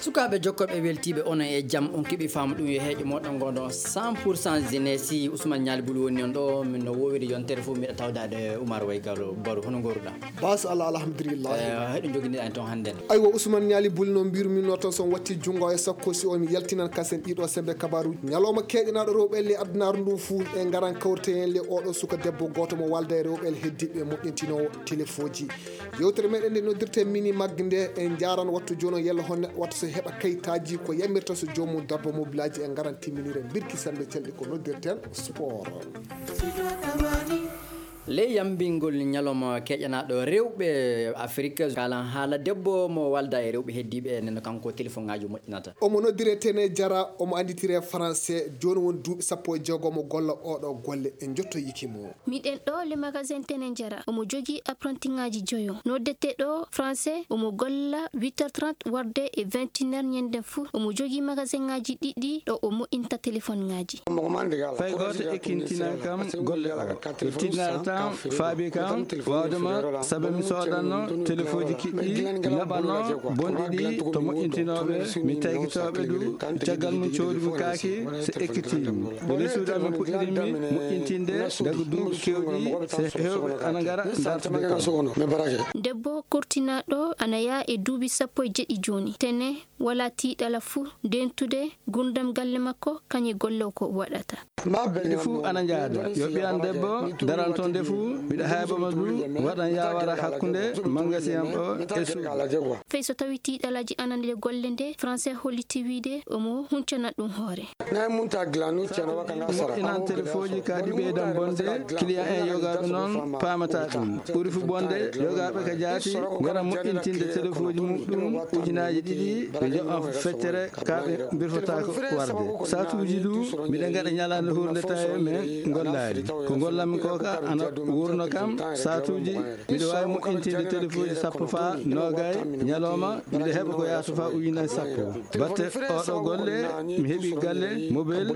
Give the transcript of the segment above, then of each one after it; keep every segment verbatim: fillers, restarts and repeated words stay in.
sukaɓe jokkoɓe weltiɓe onon e jaam on keeɓi faamu ɗum yo heeƴo moɗon gonɗon cent pour cent jeunesse Ousmane Nialy Bouly woni on ɗo min no wowiri yontere fof miɗa tawdade Oumar Way Gallo Barou hono goruɗa bas Allah alhamdulillah heɗo joguiniɗa en toon hannde aywa Ousmane Nialy Bouly no mbirumino toon son watti jungo e sakkosi o mi yaltinan kasen ɗiɗo sembe kabaruji ñalawma keeƴanaɗo rewɓe le addunaru ndu fuu e garan kawrte hen le oɗo suka debbo goto mo walda e rewɓe heddiɓe moƴƴintinowo téléphone ji yewtere meɗen nde noddirte mini maggue nde en jaran wattu joni o yella hon neɗɗo watta so heeɓa kayitaji ko yamirta so jomum darba mobilaji en garan timminire birki sembe celɗe ko noddirten sport ley yambingol ñalawma keƴanaɗo rewɓe Afrique kalan haala debbo mo walda e rewɓe heddiɓe neno kanko téléphone ngaji moƴƴinata omo noddire tene jara omo anditire français joni woni duuɓi sappo e jeegom mo golla oɗo golle en jottoyikimo miɗen ɗo le magasin tene jara omo jogui apprenti ngaji joyo noddete ɗo français omo golla huit heures trente warde e vingt et une heures ñande fou omo jogui magasin ngaji ɗiɗi ɗo o moƴƴinta téléphone ngaji fay goto ekkintina kam golle o tinata faabi kam wawdema saabu mi soɗanno téléphone ji kiɗɗi laɓanno bonɗi ɗi to moƴƴintinoɓe mi taykitoɓe du caggal mum coodi mum kaaki so ekkitimi nde suudan no puɗɗirinmi moƴƴintinde daga duuɓi kewɗi so hewɓe ana gara dartude debbo kortinaɗo ana yaa e duuɓi sappo e jeɗɗi joni tene wala tiiɗala fuu dentude gurdam galle makko kañe golle ko waɗata ɗi fuu ana jaada yo ɓiyan debbo daran toon nde fuu mbiɗa haybama du waɗan yawara hakkude magasin am o e suudu fey so tawi tiiɗalaji anande golle nde français holliti wiide omo huncana ɗum hoore moƴƴinan téléphone ji ka ɗi ɓeydan bonde client en yogaɓe noon pamata ɗum ɓuuri fu bonde yogaɓe ka jaati gara moƴƴintinde téléphone ji muɗum ujunaji ɗiɗi ɓe joɓan feccere kaɓe birfotako warde satuji du mbiɗa gaɗa ñalande hurde tawe men gollari ko gollanmi koka ana wurno kam satuji mbiɗa wawi moƴƴintinde téléphone ji sappo fa nogay ñalawma mbiɗa heeɓa ko yaata fa ujunaji sappo batte oɗo golle mi heeɓi galle mobile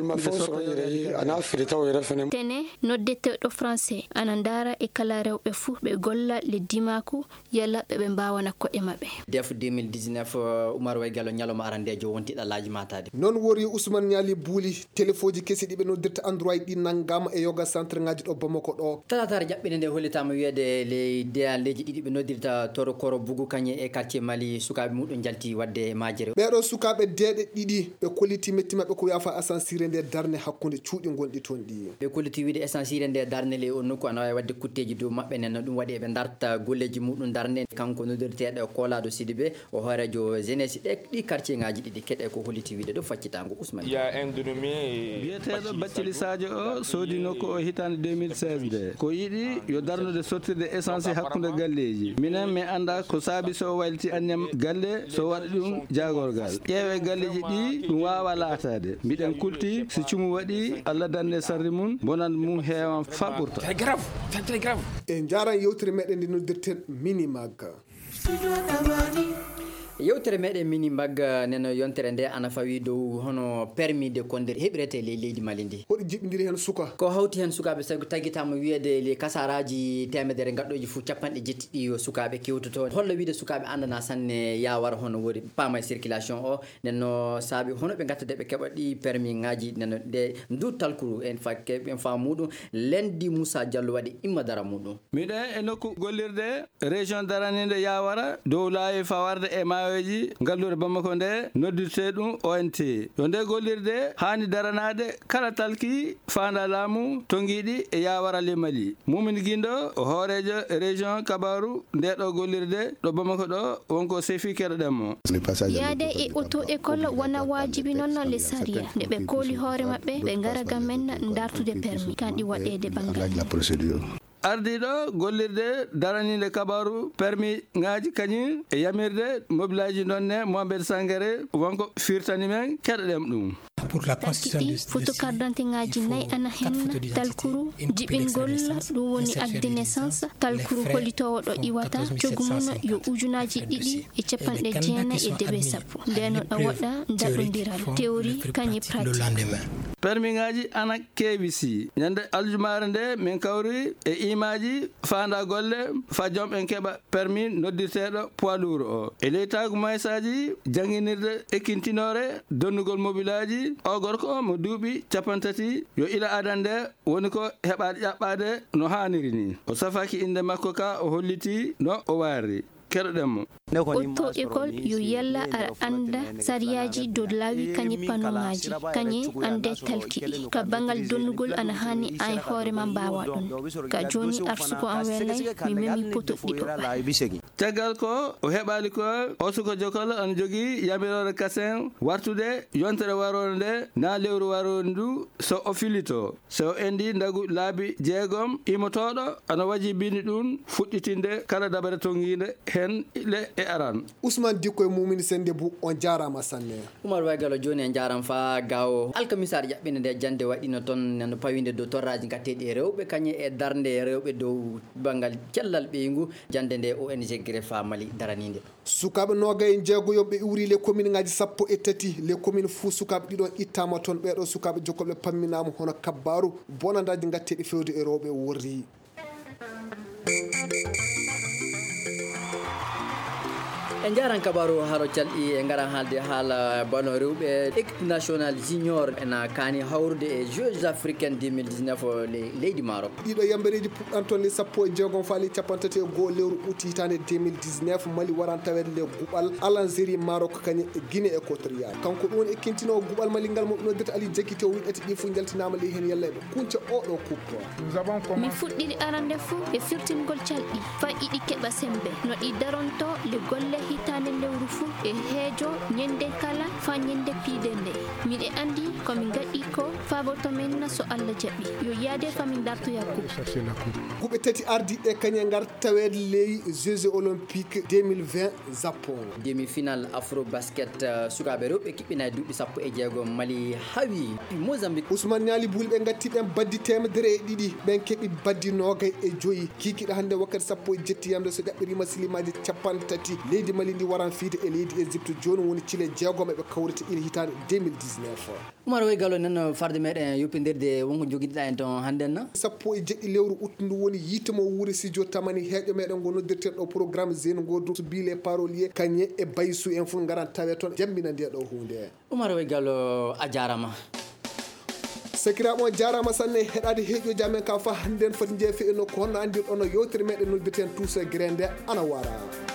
tene noddeteɗo français ana dara e kala rewɓe fuu ɓe golla leddi mako yalla ɓeɓe mbawana koɗe mabɓe def deux mille dix-neuf Oumar Way Gallo ñalawma arandejo wonti ɗallaji matade non wori Ousmane Nialy Bouly téléphone ji kesi ɗiɓe noddirta android ɗi naggama e yoga centre ngaji ɗo Bamako ɗo talatare jaɓɓinde nde hollitama wiyede ley dealeji ɗiɗi ɓe noddirta toro koro bugu kañe e quartier Mali sukaɓe muɗum jalti wadde majere ɓeɗo sukaɓe deeɗe ɗiɗi ɓe kolliti metti mabɓe ko wiyafa ascensire nde darne hakkude cuuɗi gonɗi toon ɗi ɓe kolliti wiide ascensire nde darne ley on nokku ana wawi wadde kutteji dow mabɓe nen ɗum waɗi eɓe darta golleji muɗum darne kanko noddirteɗo Kolado Sidibé o hoorejo jeunesse ɗe ɗi quartier ngaji ɗiɗi keɗe ko holliti wiide ɗo faccitango Ousmane biyeteɗo Bathily Sadio o soodi nokku o hitande deux mille seize nde ko yiɗi yo darnude sottirde essence hakkude galleji minen mi anda ko saabi so wayliti anniyam galle so waɗa ɗum jagorgal ƴeewe galleji ɗi ɗum wawa laatade mbiɗen kulti so cumu waɗi Allah danne sarri mum bonan mum heewan faɓɓurta en jaran yewtere meɗen nde noddirten mini magga yewtere meɗen mini magga neno yontere nde ana fawi dow hono permis de conduire heɓirete ley leydi Mali ndi hoɗo jiɓidiri hen suka ko hawti hen sukaɓe sago taguitama wiyede les kasaraji temedere gadɗoji fou capanɗe jettiɗi sukaɓe kewtoto hollo wiide sukaɓe andana sanne yawara hono wori paama circulation o nenno saabi hono ɓe gattade ɓe keɓa ɗi permis ngaji neno ɗe ndu talkuru en fakke en fa muɗum lendi Moussa Diallo waɗi imma dara muɗum miɗen e nokku gollirde région daranide yawara dow laawi fawarde e ma ji gallude Bamako nde noddirte ɗum O N T yo nde gollirde hani daranade kala talki fanda laamu tonguiɗi e yawara le Mali mumin guindo o hoorejo région Kabaru nde ɗo gollirde ɗo Bamako ɗo wonko sefi keɗoɗenmo yaade e auto école wona wajibi noon le saria nde ɓe kooli hoore mabɓe ɓe gara gam men dartude permis kanɗi waɗede banggal ardiɗo gollirde daranide kabaru permis ngaji kañum e yamirde mobilaji nonne Mohamed Sangare wonko firtani men keɗoɗen ɗum ɗiɗi photo carte d'identité ngaji nayyi ana henna talkuru jiɓingol ɗum woni acte de naissance talkuru hollitowo ɗo iwata cogumuno yo ujunaji ɗiɗi e capanɗe jeenayi e deɓe sappo ndeno ɗo waɗa daɗodiral théorie kañe pratique. permis ngaji ana keewi si ñande aljumare nde min kawri e imaji fanda golle fa joom en keɓa permis noddirteɗo poids lourd o e leytagu maysaji jangguinirde ekkintinore donnugol mobilaji o gorko mo duuɓi capantati yo ila adan nde woni ko heɓade ƴaɓɓade no hanniri ni o safaki inde makko ka o holliti no o waari keɗoɗenmo auto école yo yalla aɗa anda sariyaji dow laawi kañe panoŋaji kañe ande talkiɗi ka bangal donnugol ana hani an hoorema mbawa ɗum ka joni arsuko an welay mi memi poto ɗiɗo caggal ko o heɓali ko o suko jokol ana jogui yamirore kasen wartude yontere warode nde na lewru warode ndu so o filito so o endi ndagu laabi jeegom imotoɗo ana waji bini ɗum fuɗɗitinde kala dabare tonguide hen le e aran. Ousmane Dikko e Mumini Sendebou on jarama sanne. Oumar Waygalo joni en jaram fa gawo alkamisar jaɓɓinde nde jande waɗino toon nano pawinde dow torraji gatteɗi e rewɓe kañe e darde rewɓe dow banggal cellal ɓeygu jande nde O N G Grefa Mali daranide. Sukaɓe noga e jeegoyoɓe iwri les commune ngaji sappo e tati les commune fou sukaɓe ɗiɗon ittama toon ɓeɗo sukaɓe jokkoɓe pamminama hono kabbaru bonandaji gatteɗi fewde e rewɓe worri. en jaran kabaru haro calɗi e garan haalde haala bano rewɓe équipe national junior ena kaani hawrude e jeux africaine deux mille dix-neuf leydi Maroc. ɗiɗo yambereji puɗɗan toon le sappo e jeegom faali capantati e goho lewru août hitande deux mille dix-neuf Mali waran tawede le guɓal Algérie Maroc kañe e Guinée équatoriale kanko ɗum woni ekkintinowo guɓal Mali ngal mo noddata Ali Diakité o wiɗati ɗi fo jaltinama ley hen yalla ɓe kunca oɗo coupe. mi fuɗɗiri arande fou e firtingol calɗi fa iɗi keɓa sembe no ɗi daronto le golle hitande lewru fou e heejo ñande kala fa ñande piide nde miɗe andi komin gaɗi ko faboto men so Allah jaɓi yo yaade famin dartoya coupe. guɓe tati ardiɗe kañe gar tawede ley Jeux olympique deux mille vingt Japon. demi final afro basket uh, sukaɓe rewɓe kiɓɓina e duuɓi sappo e jeegom Mali hawi Mozambique. Ousmane Niali Bouli ɓe gatti ɓen baddi temedere e ɗiɗi ɓen keeɓi baddi nogay e joyyi kikiɗa hande wakkati sappo e jettiyamde so ɗaɓɓirima silimaji capan tati leydi Mali ndi waran fiide e leydi Égypte joni woni cile jeegom eɓe kawrita ina hitande deux mille dix-neuf. Oumar Waygalo nan farde meɗen yoppidirde wonko joguiɗiɗa en ton hannden sappo e jeɗɗi lewru août ndu woni yitemo wuuri studio tamani heeƴo meɗen go noddirten ɗo programme zeno godu so bile parolier kañe e baysou en fof garan tawe toon jambina nde ɗo hunde. Oumar Waygalo a jarama. sakiraɓe on jarama sanne heɗade heeƴoji amen ka fa hannden foti jeefe e nokku honno andirɗon no yewtere meɗen noddirten tous grande ana wara.